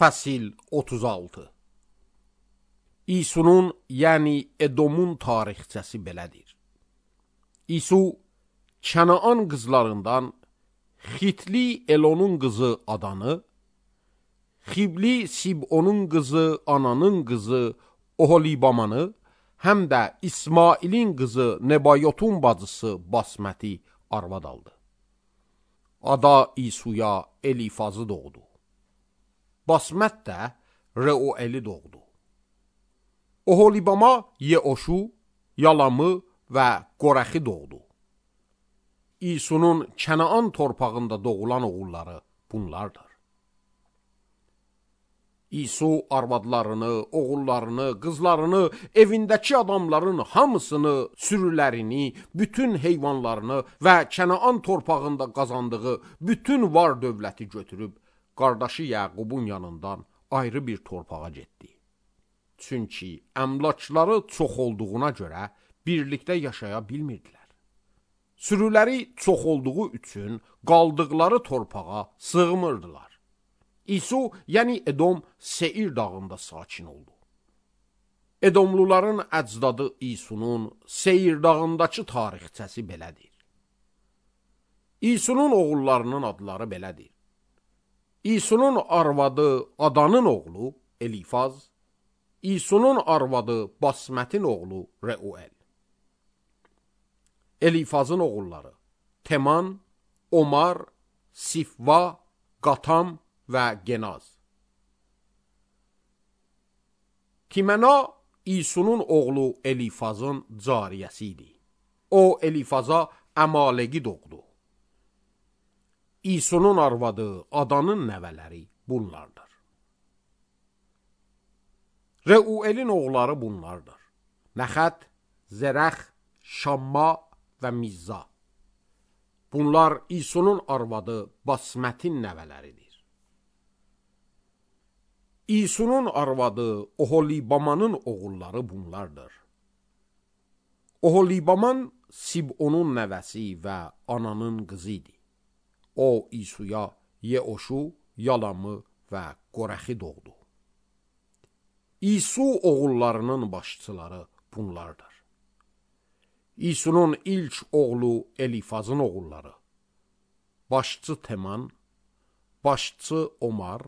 Fəsil 36. İsunun, yəni Edomun tarixçəsi belədir. İsu, Kənaan qızlarından Xitli Elonun qızı Adanı, Xibli Sibonun qızı Ananın qızı Oholibamanı, həm də İsmailin qızı Nebayotun bacısı Basməti arvad aldı. Ada İsuya Elifazı doğdu. Basmət də Reueli doğdu. Oholibama Yeoşu, Yalamı və Qorəxi doğdu. İsunun Kənaan torpağında doğulan oğulları bunlardır. İsu arvadlarını, oğullarını, qızlarını, evindəki adamların hamısını, sürülərini, bütün heyvanlarını və Kənaan torpağında qazandığı bütün var dövləti götürüb, qardaşı Yaqubun yanından ayrı bir torpağa getdi. Çünki əmlakları çox olduğuna görə birlikdə yaşaya bilmirdilər. Sürüləri çox olduğu üçün qaldıqları torpağa sığmırdılar. İsu, yəni Edom, Seir dağında sakin oldu. Edomluların əcdadı İsunun Seir dağındakı tarixçəsi belədir. İsunun oğullarının adları belədir. İsunun arvadı Adanın oğlu Elifaz, İsunun arvadı Basmətin oğlu Reuel. Elifazın oğulları Teman, Omar, Sifva, Qatam və Genaz. Timena İsunun oğlu Elifazın cariyəsi idi. O Elifaza Əmalegi doğdu. İsunun arvadı Adanın nəvələri bunlardır. Reuelin oğulları bunlardır. Nəxət, Zərəx, Şamma və Mizza. Bunlar İsunun arvadı Basmətin nəvələridir. İsunun arvadı Oholibamanın oğulları bunlardır. Oholibaman Sibonun nəvəsi və ananın qızı idi. O İsuya Yeoşu, Yalamı və Qorəxi doğdu. İsu oğullarının başçıları bunlardır. İsunun ilk oğlu Elifazın oğulları: başçı Teman, başçı Omar,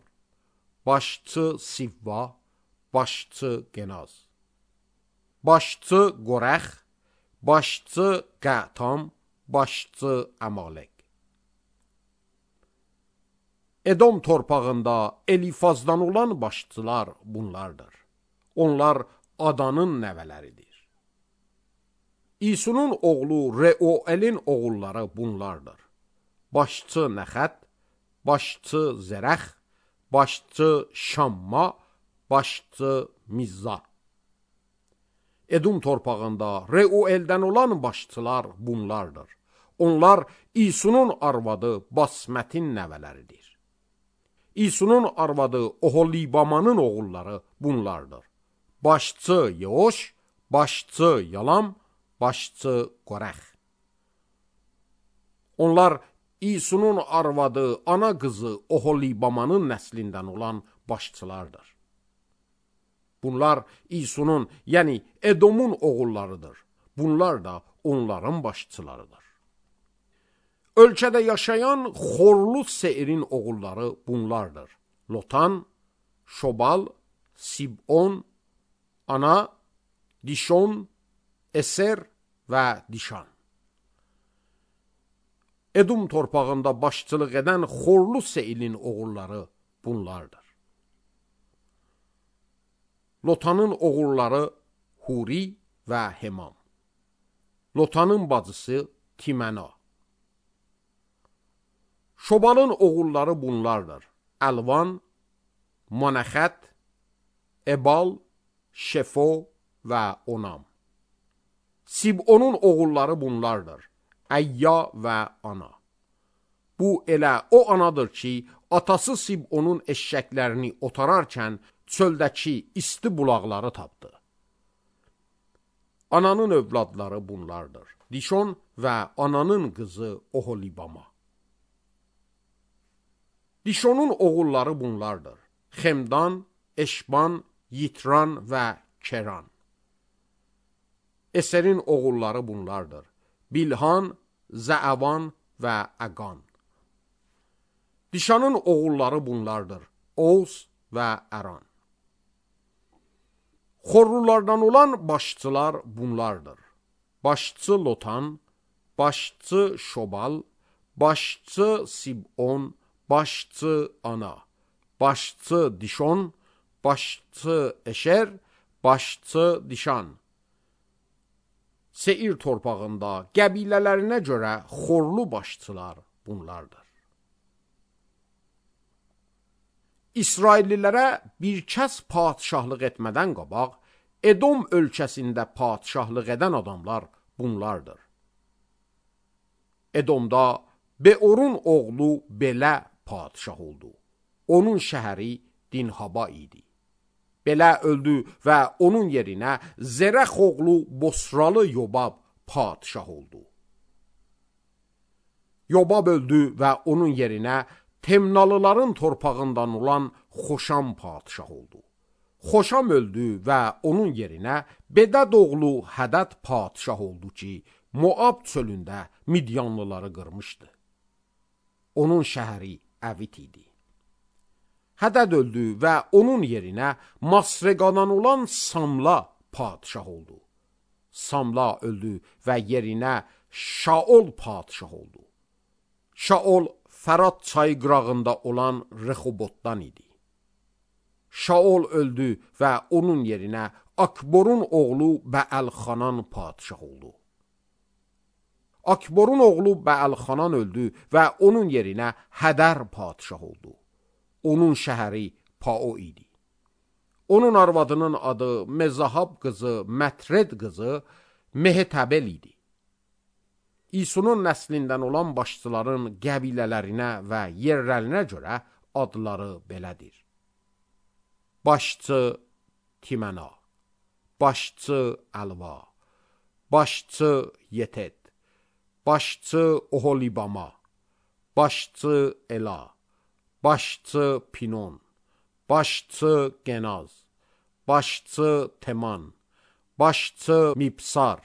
başçı Sivva, başçı Genaz, başçı Qorəx, başçı Qatam, başçı Əmalek. Edom torpağında Elifazdan olan başçılar bunlardır. Onlar Adanın nəvələridir. İsunun oğlu Reuelin oğulları bunlardır: başçı Nəxət, başçı Zərəx, başçı Şamma, başçı Mizza. Edom torpağında Reueldən olan başçılar bunlardır. Onlar İsunun arvadı Basmətin nəvələridir. İsunun arvadı Oholibamanın oğulları bunlardır: başçı Yeoş, başçı Yalam, başçı Qorəx. Onlar İsunun arvadı ana qızı Oholibamanın nəslindən olan başçılardır. Bunlar İsunun, yəni Edomun oğullarıdır. Bunlar da onların başçılarıdır. Ölkədə yaşayan xorlu Seirin oğulları bunlardır: Lotan, Şobal, Sibon, Ana, Dişon, Eser və Dişan. Edom torpağında başçılıq edən xorlu Seirin oğulları bunlardır. Lotanın oğulları Huri və Hemam. Lotanın bacısı Timena. Şobalın oğulları bunlardır: Əlvan, Manaxət, Ebal, Şefo və Onam. Sibonun oğulları bunlardır: Əyya və Ana. Bu elə o anadır ki, atası Sibonun eşşəklərini otararkən çöldəki isti bulaqları tapdı. Ananın övladları bunlardır: Dişon və ananın qızı Oholibama. Dişonun oğulları bunlardır: Xemdan, Eşban, Yitran və Keran. Eserin oğulları bunlardır: Bilhan, Zəəvan və Əqan. Dişanın oğulları bunlardır: Oğuz və Əran. Xorrulardan olan başçılar bunlardır: başçı Lotan, başçı Şobal, başçı Sibon, başçı Ana, başçı Dişon, başçı Eşer, başçı Dişan. Seir torpağında qəbilələrinə görə xorlu başçılar bunlardır. İsraillilərə bir kəs padişahlıq etmədən qabaq, Edom ölkəsində padişahlıq edən adamlar bunlardır. Edomda Beorun oğlu Belə padişah oldu. Onun şəhəri Dinhaba idi. Belə öldü və onun yerinə Zerəx oğlu Bosralı Yobab padişah oldu. Yobab öldü və onun yerinə Temnalıların torpağından olan Xoşam padişah oldu. Xoşam öldü və onun yerinə Bedəd oğlu Hədəd padişah oldu ki, Moab çölündə Midyanlıları qırmışdı. Onun şəhəri Əvit idi. Hədəd öldü və onun yerinə Masreqadan olan Samla padişah oldu. Samla öldü və yerinə Şaol padişah oldu. Şaol Fərat çayı qırağında olan Rexobotdan idi. Şaol öldü və onun yerinə Akborun oğlu Bəəlxanan padişah oldu. Akborun oğlu Bəəlxanan öldü və onun yerinə Hədər padişah oldu. Onun şəhəri Pao idi. Onun arvadının adı Mezahab qızı, Mətred qızı Mehetəbel idi. İsunun nəslindən olan başçıların qəbilələrinə və yerlərinə görə adları belədir: başçı Timena, başçı Əlva, başçı Yetet, başçı Oholibama, başçı Ela, başçı Pinon, başçı Genaz, başçı Teman, başçı Mipsar,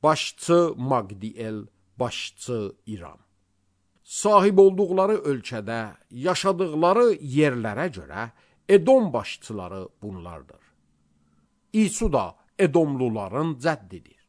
başçı Magdiel, başçı İram. Sahib olduqları ölkədə, yaşadıqları yerlərə görə Edom başçıları bunlardır. İsu da Edomluların cəddidir.